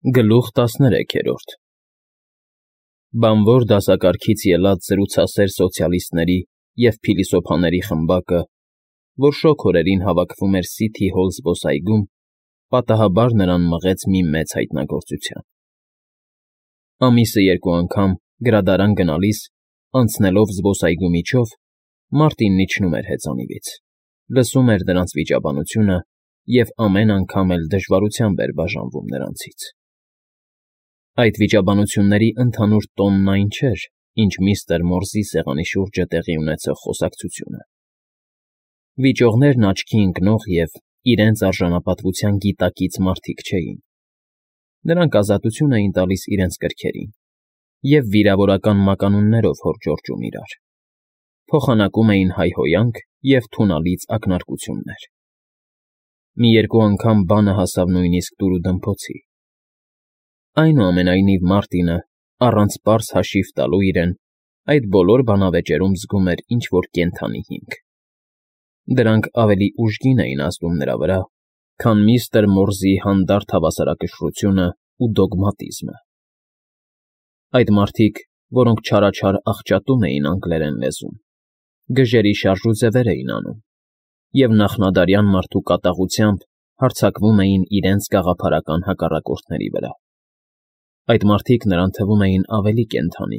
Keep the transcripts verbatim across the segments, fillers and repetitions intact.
Գլուխ տասներեքերորդ Բանվոր դասակարգից ելած զրուցասեր սոցիալիստների և փիլիսոփաների խմբակը, որ շոգ օրերին հավաքվում էր Սիթի Հոլ զբոսայգում, պատահաբար նրան մղեց մի մեծ հայտնագործության. ամիսը երկու անգամ, գրադարան գնալիս, անցնելով զբոսայգու միջով, Մարտինն իջնում էր հեծանիվից, լսում էր նրանց վիճաբանությունը և ամեն անգամ էլ դժվարությամբ էր բաժանվում նրանցից. Այդ վիճաբանությունների ընդհանուր տոնն այն չէր, ինչ միստր Մորզի սեղանի շուրջը տեղի ունեցող խոսակցությունը. վիճողներն աչքի ընկնող և իրենց արժանապատվության գիտակից մարդիկ չէին. նրանք ազատություն էին տալիս իրենց կրքերին և վիրավորական մականուններով հորջորջում իրար, փոխանակում էին հայհոյանք և թունալից ակնարկություններ. մի երկու անգամ բանը հասավ նույնիսկ դուրուդմփոցի. Այնուամենայնիվ Մարտինը, առանց պարզ հաշիվ տալու իրեն, այդ բոլոր բանավեճերում զգում էր ինչ֊որ կենդանի հիմք. դրանք ավելի ուժգին էին ազդում նրա վրա, քան միստր Մորզի հանդարտ հավասարակշռությունն ու դոգմատիզմը. այդ մարդիկ, որոնք չարաչար աղճատում էին անգլերեն լեզուն, գժերի շարժուձևեր էին անում և նախնադարյան մարդու կատաղությամբ հարձակվում էին իրենց գաղափարական հակառակորդների վրա. Այդ մարդիկ նրան թվում էին ավելի կենդանի,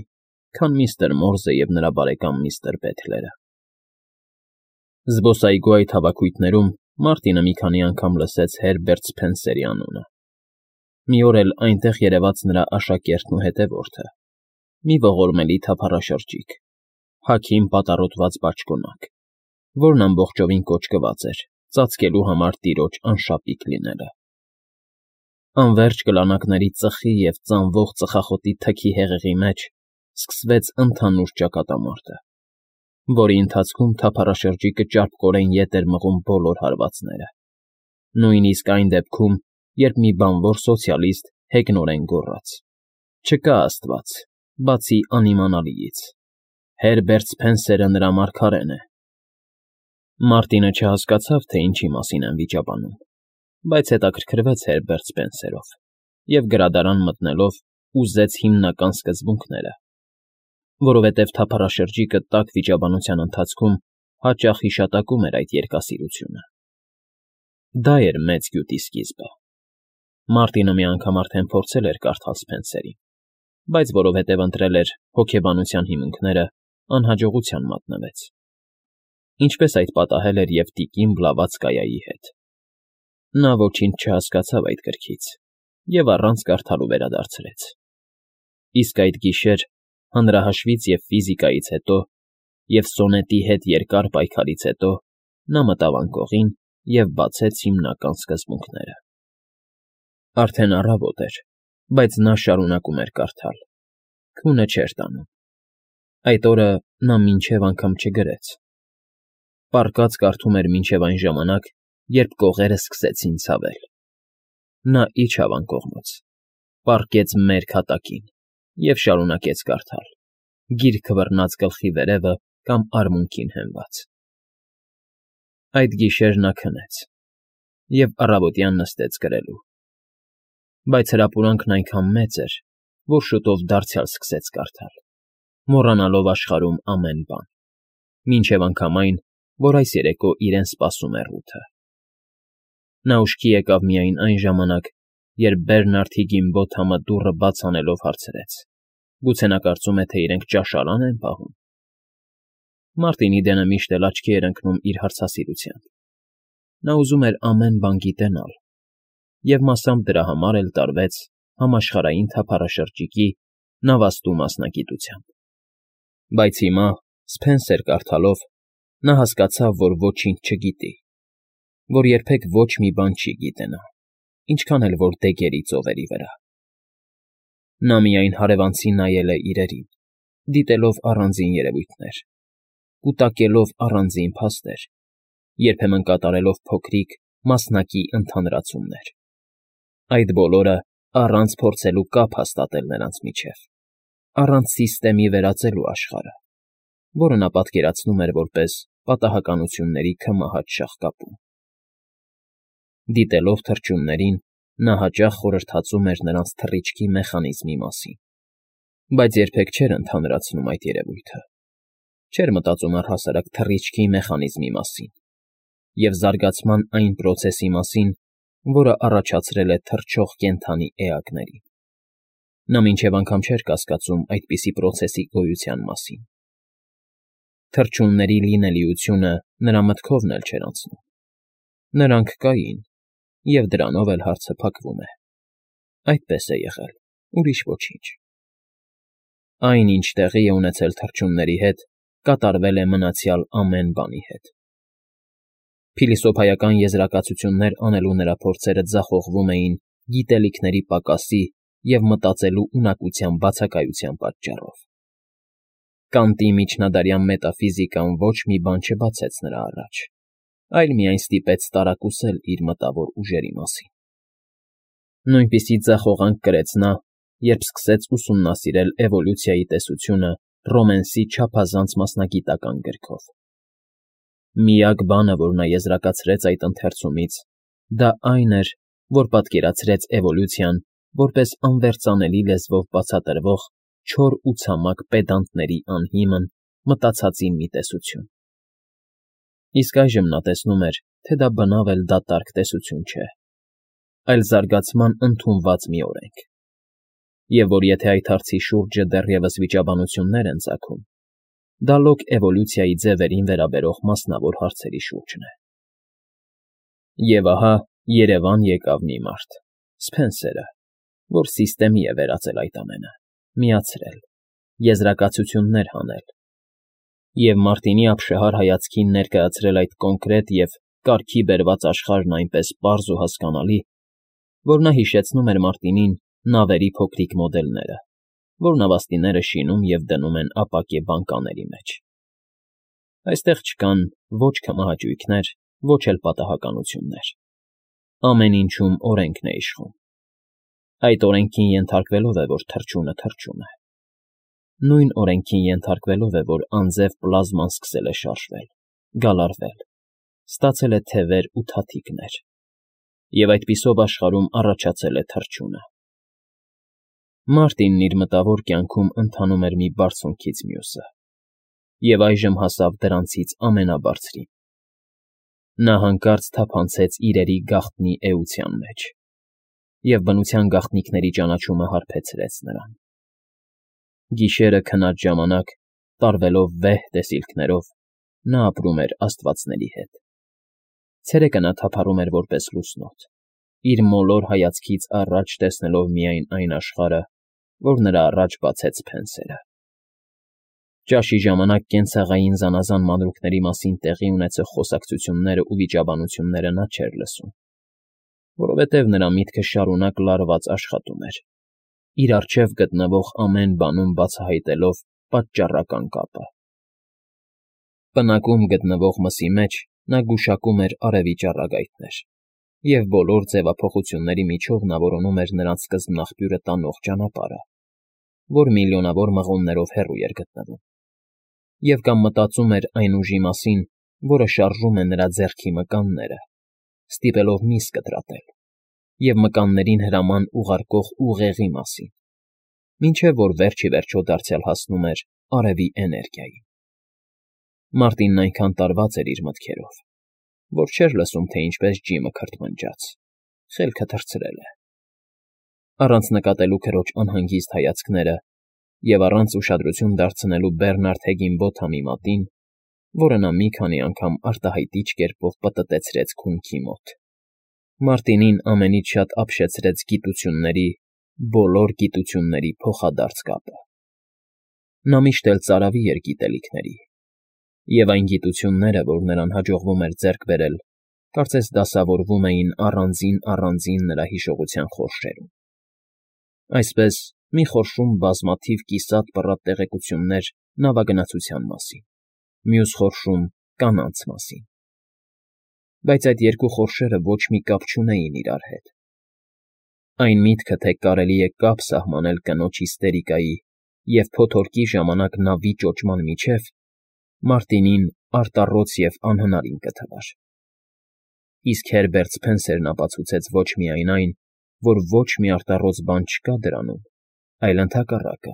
քան միստր Մորզը և նրա բարեկամ միստր Բեթլերը։ Զբոսայգու այդ հավաքույթներում Մարտինը մի քանի անգամ լսեց Հերբերտ Սփենսերի անունը. մի օր էլ այնտեղ երևաց նրա աշակերտն ու հետևորդը, մի ողորմելի թափառաշրջիկ, հագին պատառոտված բաճկոնակ, որն ամբողջովին կոճկված էր, ծածկելու համար տիրոջ անշապիկ լինելը. Անվերջ կլանակների ծխի և ծանվող ծխախոտի թքի հեղեղի մեջ սկսվեց ընդհանուր ճակատամարտը, որի ընթացքում թափառաշրջիկը ճարպկորեն ետ էր մղում բոլոր հարվածները, նույնիսկ այն դեպքում, երբ մի բանվոր սոցիալիստ հեգնորեն գոռաց. «Չկա աստված, բացի անիմանալիից, Հերբերտ Սփենսերը նրա մարգարեն է»։ Մարտինը չհասկացավ, թե ինչի մասին են վիճաբանում, բայց հետաքրքրվեց Հերբերտ Սպենսերով և գրադարան մտնելով ուզեց հիմնական սկզբունքները, որովհետև թափառաշրջիկը տաք վիճաբանության ընթացքում հաճախ հիշատակում էր այդ երկասիրությունը. դա էր մեծ գյուտի սկիզբը։ Մարտինը մի անգամ արդեն փորձել էր կարդալ Սփենսերին, բայց որովհետև ընտրել էր հոգեբանության հիմունքները, անհաջողության մատնվեց, ինչպես այդ պատահել էր և տիկին Բլավատսկայայի հետ. նա ոչինչ չհասկացավ այդ գրքից և առանց կարդալու վերադարձրեց։ Իսկ այդ գիշեր, հանրահաշվից և ֆիզիկայից հետո, և սոնետի հետ երկար պայքարից հետո, նա մտավ անկողին և բացեց հիմնական սկզբունքները։ Արդեն առավոտ էր, բայց նա շարունակում էր կարդալ, քունը չէր տանում. այդ օրը նա մինչև անգամ չգրեց. պառկած կարդում էր մինչև այն ժամանակ, երբ կողերը սկսեցին ցավել. նա իջավ անկողնուց, պառկեց մերկ հատակին և շարունակեց կարդալ, գիրքը բռնած գլխի վերևը կամ արմունկին հենված։ Այդ գիշեր նա քնեց և առավոտյան նստեց գրելու, բայց հրապուրանքն այնքան մեծ էր, որ շուտով դարձյալ սկսեց կարդալ, մոռանալով աշխարհում ամեն բան, մինչև անգամ այն, որ այս երեկո իրեն սպասում է Ռութը։ Նա ուշքի եկավ միայն այն ժամանակ, երբ Բերնարդ Հիգինբոթամը դուռը բաց անելով հարցրեց. գուցե նա կարծում է, թե իրենք ճաշարան են պահում։ Մարտինի դենը միշտ էլ աչքի էր ընկնում իր հարցասիրությամբ. նա ուզում էր ամեն բան գիտենալ և մասամբ դրա համար էլ տարվեց համաշխարհային թափառաշրջիկի նավաստու մասնագիտությամբ։ Բայց հիմա, Սփենսեր կարդալով, նա հասկացավ, որ ոչինչ չգիտի, որ երբեք ոչ մի բան չի գիտենա, ինչքան էլ որ դեգերի ծովերի վրա։ Նա միայն հարևանցի նայել է իրերին, դիտելով առանձին երևույթներ, կուտակելով առանձին փաստեր, երբեմն կատարելով փոքրիկ, մասնակի ընդհանրացումներ, այդ բոլորը առանց փորձելու կապ հաստատել նրանց միջև, առանց սիստեմի վերածելու աշխարհը, որը նա պատկերացնում էր որպես պատահականությունների քմահաճ շաղկապում։ Դիտելով թռչուններին, Նա հաճախ խորհրդածում էր նրանց թռիչքի մեխանիզմի մասին, բայց երբեք չէր ընդհանրացնում այդ երևույթը, չէր մտածում առհասարակ թռիչքի մեխանիզմի մասին և զարգացման այն պրոցեսի մասին, որը առաջացրել է թռչող կենդանի էակներին։ Նա մինչև անգամ չէր կասկածում այդպիսի պրոցեսի գոյության մասին։ Թռչունների լինելիությունը նրա մտքովն էլ չէր անցնում։ Նրանք կային, և դրանով էլ հարցը փակվում է։ Այդպես է եղել, ուրիշ ոչինչ։ Այն, ինչ տեղի է ունեցել թռչունների հետ, կատարվել է մնացյալ ամեն բանի հետ։ Փիլիսոփայական եզրակացություններ անելու նրա փորձերը ձախողվում էին գիտելիքների պակասի և մտածելու ունակության բացակայության պատճառով։ Կանտի միջնադարյան մետաֆիզիկան ոչ մի բան չբացեց նրա առաջ, այլ միայն ստիպեց տարակուսել իր մտավոր ուժերի մասին։ Նույնպիսի ձախողանք կրեց նա, երբ սկսեց ուսումնասիրել էվոլյուցիայի տեսությունը Ռոմենսի չափազանց մասնագիտական գրքով։ Միակ բանը, որ նա եզրակացրեց այդ ընթերցումից, դա այն էր, որ պատկերացրեց էվոլյուցիան որպես անվերծանելի լեզվով բացատրվող չոր ու ցամաք պեդանտների անհիմն, մտածածի մի տեսություն։ Իսկ այժմ նա տեսնում էր, թե դա բնավ էլ դատարկ տեսություն չէ, այլ զարգացման ընդունված մի օրենք, և որ եթե այդ հարցի շուրջը դեռևս վիճաբանություններ են ծագում, դա լոկ էվոլյուցիայի ձևերին վերաբերող մասնավոր հարցերի շուրջն է։ Եվ ահա երևան եկավ մի մարդ, Սփենսերը, որ սիստեմի է վերածել այդ ամենը, միացրել, եզրակացություններ հանել, և Մարտինի ապշահար հայացքին ներկայացրել այդ կոնկրետ և կարգի բերված աշխարհն այնպես պարզ ու հասկանալի, որ նա հիշեցնում էր Մարտինին նավերի փոքրիկ մոդելները, որ նավաստիները շինում և դնում են ապակե բանկաների մեջ։ Այստեղ չկան ոչ քմահաճույքներ, ոչ էլ պատահականություններ։ Ամեն ինչում օրենքն է իշխում։ Այդ օրենքին ենթարկվելով է, որ թռչունը թռչում է։ Նույն օրենքին ենթարկվելով է, որ անձև պլազման սկսել է շարժվել, գալարվել, ստացել է թևեր ու թաթիկներ, և այդպիսով աշխարհում առաջացել է թռչունը։ Մարտինն իր մտավոր կյանքում ընթանում էր մի բարձունքից մյուսը, և այժմ հասավ դրանցից ամենաբարձրին։ Նա հանկարծ թափանցեց իրերի գաղտնի էության մեջ, և բնության գաղտնիքների ճանաչումը հարբեցրեց նրան։ Գիշերը քնած ժամանակ, տարվելով վեհ տեսիլքներով, նա ապրում էր աստվածների հետ։ Ցերեկը նա թափառում էր որպես լուսնոտ, իր մոլոր հայացքից առաջ տեսնելով միայն այն աշխարհը, որ նրա առաջ բացեց Սփենսերը։ Ճաշի ժամանակ կենցաղային զանազան մանրուքների մասին տեղի ունեցող խոսակցություններն ու վիճաբանությունները նա չէր լսում, որովհետև նրա միտքը շարունակ լարված աշխատում էր, իր առջև գտնվող ամեն բանում բացահայտելով պատճառական կապը։ Պնակում գտնվող մսի մեջ նա գուշակում էր արևի ճառագայթներ, և բոլոր ձևափոխությունների միջով նա որոնում էր նրանց սկզբնաղբյուրը տանող ճանապարհը, որ միլիոնավոր մղոններով հեռու էր գտնվում, և կամ մտածում էր այն ուժի մասին, որը շարժում է նրա ձեռքի մկանները, ստիպելով միս կտրատել, և մկաններին հրաման ուղարկող ուղեղի մասին, մինչև որ վերջ ի վերջո դարձյալ հասնում էր արևի էներգիային։ Մարտինն այնքան տարված էր իր մտքերով, որ չէր լսում, թե ինչպես ջիմը քրթմնջաց, խելքը թռցրել է։ Առանց նկատելու քրոջ անհանգիստ հայացքները և առանց ուշադրություն դարձնելու Բերնարդ Հեգինբոթամի մատին, որը նա մի քանի անգամ արտահայտիչ կերպով պտտեցրեց քունքի մոտ, Մարտինին ամենից շատ ապշեցրեց գիտությունների, բոլոր գիտությունների փոխադարձ կապը։ Նա միշտ էլ ծարավի էր գիտելիքների, և այն գիտությունները, որ նրան հաջողվում էր ձեռք բերել, կարծես դասավորվում էին առանձին֊առանձին նրա հիշողության խորշերում։ Այսպես, մի խորշում բազմաթիվ կիսատ-պռատ տեղեկություններ նավագնացության մասին, մյուս խորշում կանանց մասին։ Բայց այդ երկու խորշերը ոչ մի կապ չունեին իրար հետ։ Այն միտքը, թե կարելի է կապ սահմանել կնոջ հիստերիկայի և փոթորկի ժամանակ նավի ճոճման միջև, Մարտինին արտառոց և անհնարին կթվար։ Իսկ Հերբերտ Սփենսերն ապացուցեց ոչ միայն այն, որ ոչ մի արտառոց բան չկա դրանում, այլ ընդհակառակը,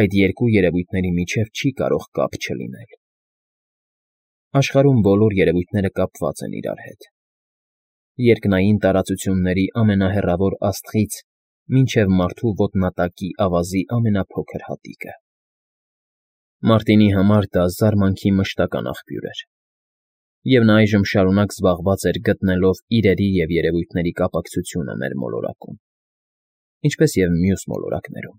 այդ երկու երևույթների միջև չի կարող կապ չլինել։ Աշխարհում բոլոր երևույթները կապված են իրար հետ, երկնային տարածությունների ամենահեռավոր աստղից մինչև մարդու ոտնատակի ավազի ամենափոքր հատիկը։ Մարտինի համար դա զարմանքի մշտական աղբյուր էր, և նա այժմ շարունակ զբաղված էր գտնելով իրերի և երևույթների կապակցությունը մեր մոլորակում, ինչպես և մյուս մոլորակներում։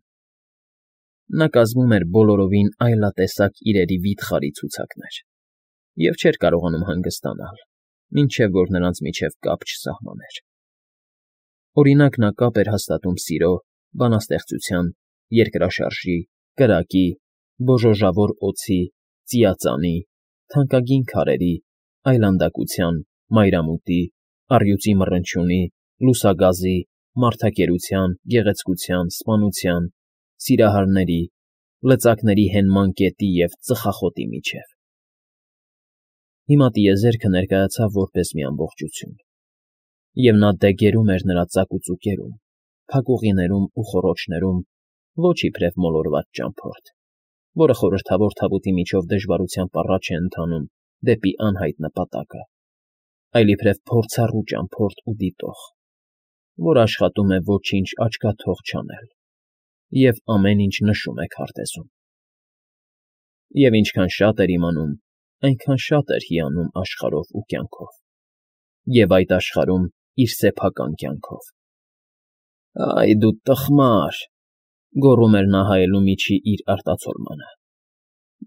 Նա կազմում էր բոլորովին այլատեսակ իրերի վիթխարի ցուցակներ և չէր կարողանում հանգստանալ, մինչև որ նրանց միջև կապ չսահմաներ։ Օրինակ, նա կապ էր հաստատում սիրո, բանաստեղծության, երկրաշարժի, կրակի, բոժոժավոր օձի, ծիածանի, թանկագին քարերի, այլանդակության, մայրամուտի, առյուծի մռնչյունի, լուսագազի, մարդակերության, գեղեցկության, սպանության, սիրահարների, լծակների հենման կետի և ծխախոտի միջև։ Հիմա տիեզերքը ներկայացավ որպես մի ամբողջություն, և նա դե գերում էր նրա ծակուծուկերում, փակուղիներում ու խոռոչներում ոչ իբրև մոլորված ճամփորդ, որը խորհրդավոր թավուտի միջով դժվարությամբ առաջ է ընթանում դեպի անհայտ նպատակը, այլ իբրև փորձառու ճամփորդ ու դիտող, որ աշխատում է ոչինչ աչքաթող չանել և ամեն ինչ նշում է քարտեզում։ Եվ ինչքան շատ էր իմանում, այնքան շատ էր հիանում աշխարհով ու կյանքով, և այդ աշխարհում իր սեփական կյանքով։ «Այ դու տխմար,֊ գոռում էր նա հայելու միջի իր արտացոլմանը,֊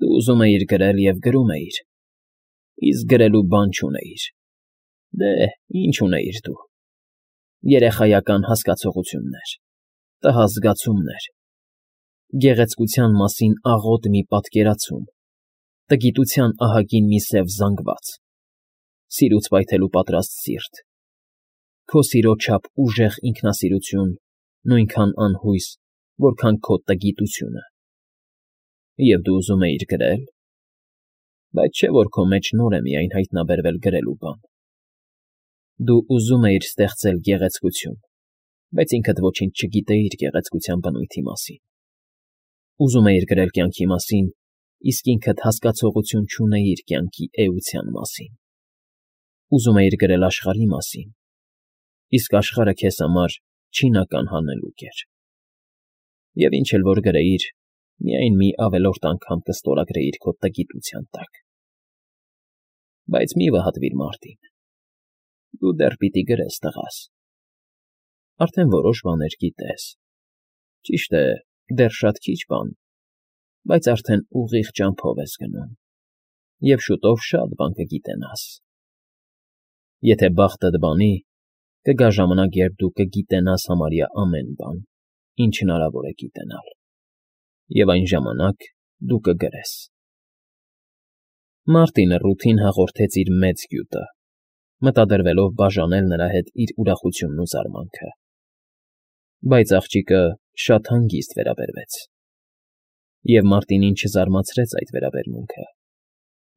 դու ուզում էիր գրել և գրում էիր, իսկ գրելու բան չունեիր։ Դե, ինչ ունեիր դու… երեխայական հասկացողություններ, տհաս զգացումներ, գեղեցկության մասին աղոտ մի պատկերացում, տգիտության ահագին մի սև զանգված, սիրուց պայթելու պատրաստ սիրտ, քո սիրո չափ ուժեղ ինքնասիրություն, նույնքան անհույս, որքան քո տգիտությունը։ Եվ դու ուզում էիր գրել… Բայց չէ՞ որ քո մեջ նոր է միայն հայտնաբերվել գրելու բան։ Դու ուզում էիր ստեղծել գեղեցկություն, բայց ինքդ ոչինչ չգիտեիր գեղեցկության բնույթի մասին։ Ուզում էիր գրել կյանքի մասին, իսկ ինքդ հասկացողություն չունեիր կյանքի էության մասին։ Ուզում էիր գրել աշխարհի մասին, իսկ աշխարհը քեզ համար չինական հանելուկ էր։ Եվ ինչ էլ որ գրեիր, միայն մի ավելորդ անգամ կստորագրեիր քո տգիտության տակ։ Բայց մի վհատվիր, Մարտին, դու դեռ պիտի գրես, տղաս, արդեն որոշ բաներ գիտես, ճիշտ է, դեռ շատ քիչ բան, բայց արդեն ուղիղ ճամփով ես գնում, և շուտով շատ բան կգիտենաս։ Եթե բախտդ բանի, կգա ժամանակ, երբ դու կգիտենաս համարյա ամեն բան, ինչ հնարավոր է գիտենալ, և այն ժամանակ դու կգրես։ Մարտինը ռութին հաղորդեց իր մեծ գյուտը, մտադրվելով բաժանել նրա հետ իր ուրախությունն ու զարմանքը։ Բայց աղջիկը շատ հանգիստ վերաբերվեց, և Մարտինին չզարմացրեց այդ վերաբերմունքը,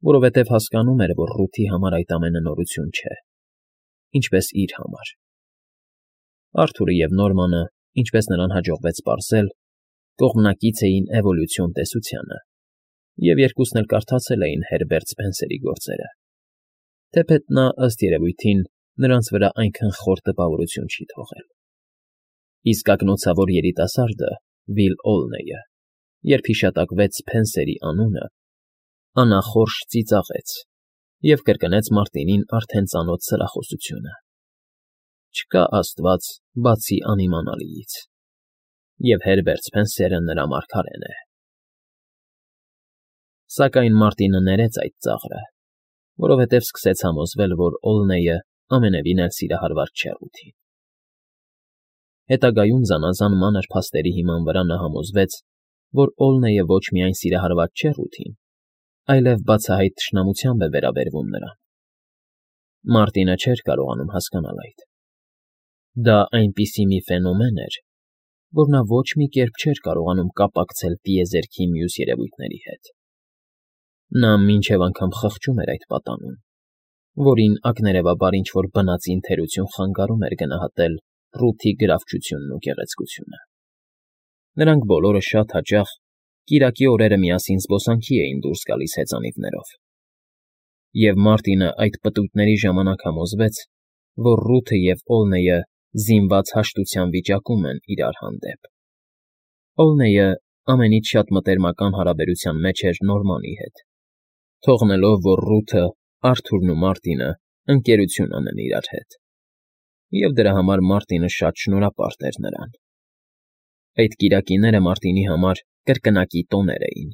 որովհետև հասկանում էր, որ ռութի համար այդ ամենը նորություն չէ, ինչպես իր համար։ Արթուրը և Նորմանը, ինչպես նրան հաջողվեց պարզել, կողմնակից էին էվոլյուցիոն տեսությանը, և երկուսն էլ կարդացել էին Հերբերտ Սփենսերի գործերը, թեպետ նա, ըստ երևույթին, նրանց վրա այնքան խոր տպավորություն չի թողել։ Իսկ ակնոցավոր երիտասարդը՝ Վիլ Օլնեյը, երբ հիշատակվեց Սփենսերի անունը, անախորժ ծիծաղեց և կրկնեց Մարտինին արդեն ծանոթ սրախոսությունը. «Չկա աստված բացի անիմանալիից, և Հերբերտ Սփենսերը նրա մարգարեն է»։ Սակայն Մարտինը ներեց այդ ծաղրը, որովհետև սկսեց համոզվել, որ Օլնեյը ամենևին էլ սիրահարված չէ ռութին։ Հետագայում զանազան մանր փաստերի հիման վրա նա համոզվեց, որ Օլնեյը ոչ միայն սիրահարված չէ ռութին, այլև բացահայտ թշնամությամբ է վերաբերվում նրան։ Մարտինը չէր կարողանում հասկանալ այդ։ Դա այնպիսի մի ֆենոմեն էր, որ նա ոչ մի կերպ չէր կարողանում կապակցել տիեզերքի մյուս երևույթների հետ։ Նա մինչև անգամ խղճում էր այդ պատանուն, որին ակներևաբար ինչ֊որ բնածին թերություն խանգարում էր գնահատել Ռութի գրավչությունն ու գեղեցկությունը։ Նրանք բոլորը շատ հաճախ կիրակի օրերը միասին զբոսանքի էին դուրս գալիս հեծանիվներով, և Մարտինը այդ պտույտների ժամանակ համոզվեց, որ Ռութը և Օլնեյը զինված հաշտության վիճակում են իրար հանդեպ։ Օլնեյը ամենից շատ մտերմական հարաբերության մեջ էր Նորմանի հետ, թողնելով, որ Ռութը, Արթուրն ու Մարտինը ընկերություն անեն իրար հետ, և դրա համար Մարտինը շատ շնորհապարտ էր նրան։ Այդ կիրակիները Մարտինի համար կրկնակի տոներ էին,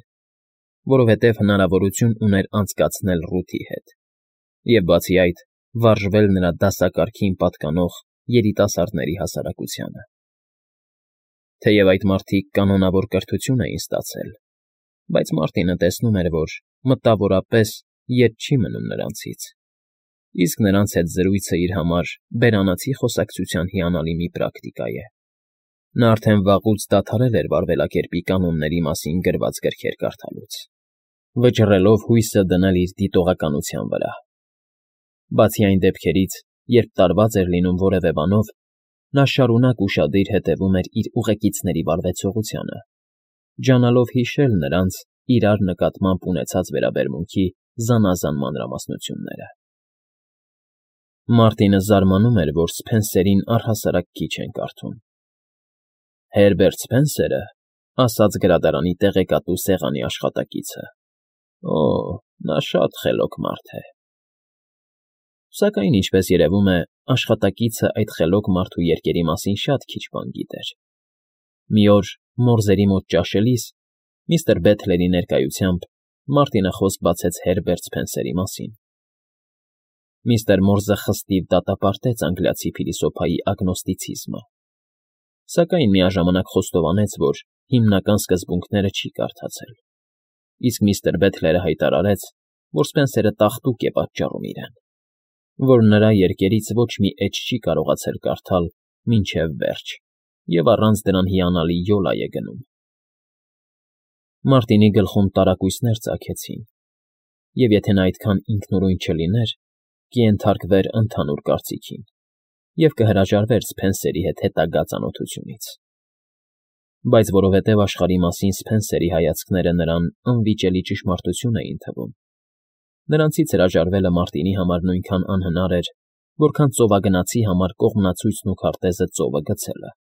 որովհետև հնարավորություն ուներ անցկացնել Ռութի հետ և, բացի այդ, վարժվել նրա դասակարգին պատկանող երիտասարդների հասարակությանը։ Թեև այդ մարդիկ կանոնավոր կրթություն էին ստացել, բայց Մարտինը տեսնում էր, որ մտավորապես ետ չի մնում նրանցից, իսկ նրանց հետ զրույցը իր համար բերանացի խոսակցության հիանալի մի պրակտիկա է։ Նա արդեն վաղուց դադարել էր վարվելակերպի կանոնների մասին գրված գրքեր կարդալուց, վճռելով հույսը դնել իր դիտողականության վրա։ Բացի այն դեպքերից, երբ տարված էր լինում որևէ բանով, նա շարունակ ուշադիր հետևում էր իր ուղեկիցների վարվեցողությանը, ջանալով հիշել նրանց իրար նկատմամբ ունեցած վերաբերմունքի զանազան մանրամասնությունները։ Մարտինը զարմանում էր, որ Սփենսերին առհասարակ քիչ են կարդում։ Հերբերտ Սփենսերը, ասաց գրադարանի տեղեկատու սեղանի աշխատակիցը, օ, նա շատ խելոք մարդ է։ Սակայն, ինչպես երևում է, աշխատակիցը այդ խելոք մարդու երգերի մասին շատ քիչ բան գիտեր։ Մի օր մորզերի մոտ ճաշելիս, միստր Բեթլերի ներկայությամբ, Մարտինը խոսք բացեց Հերբերտ Սփենսերի մասին։ Միստր Մորզը խստիվ դատապարտեց անգլիացի փիլիսոփայի ագնոստիցիզմը, սակայն միաժամանակ խոստովանեց, որ հիմնական սկզբունքները չի կարդացել, իսկ միստր Բեթլերը հայտարարեց, որ Սփենսերը տաղտուկ է պատճառում իրեն, որ նրա երգերից ոչ մի էջ չի կարողացել կարդալ մինչև վերջ և առանց դրան հիանալի յոլա է գնում։ Մարտինի գլխում տարակույսներ ծագեցին, և եթե նա այդքան ինքնուրույն չլիներ, կենթարկվեր ընդհանուր կարծիքին և կհրաժարվեր Սփենսերի հետ հետագա ծանոթությունից։ Բայց որովհետև աշխարհի մասին Սփենսերի հայացքները նրան անվիճելի ճշմարտություն էին թվում, նրանցից հրաժարվելը Մարտինի համար նույնքան անհնար էր, որքան ծովագնացի համար կողմնացույցն ու քարտեզը ծովը գցելը։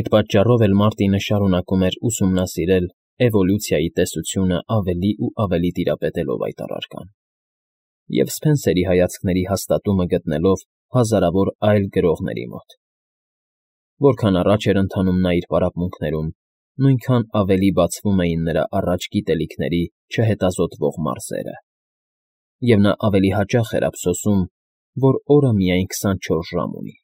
Այդ պատճառով էլ Մարտինը շարունակում էր ուսումնասիրել էվոլյուցիայի տեսությունը ավելի ու ավելի տիրապետելով այդ առարկան, և Սփենսերի հայացքների հաստատումը գտնելով հազարավոր այլ գրողների մոտ։ Որքան առաջ էր ընթանում նա իր պարապմունքներում, նույնքան ավելի բացվում էին նրա առաջ գիտելիքների չհետազոտվող մարզերը, և նա ավելի հաճախ էր ափսոսում, որ օրը միայն քսանչորս ժամ ունի։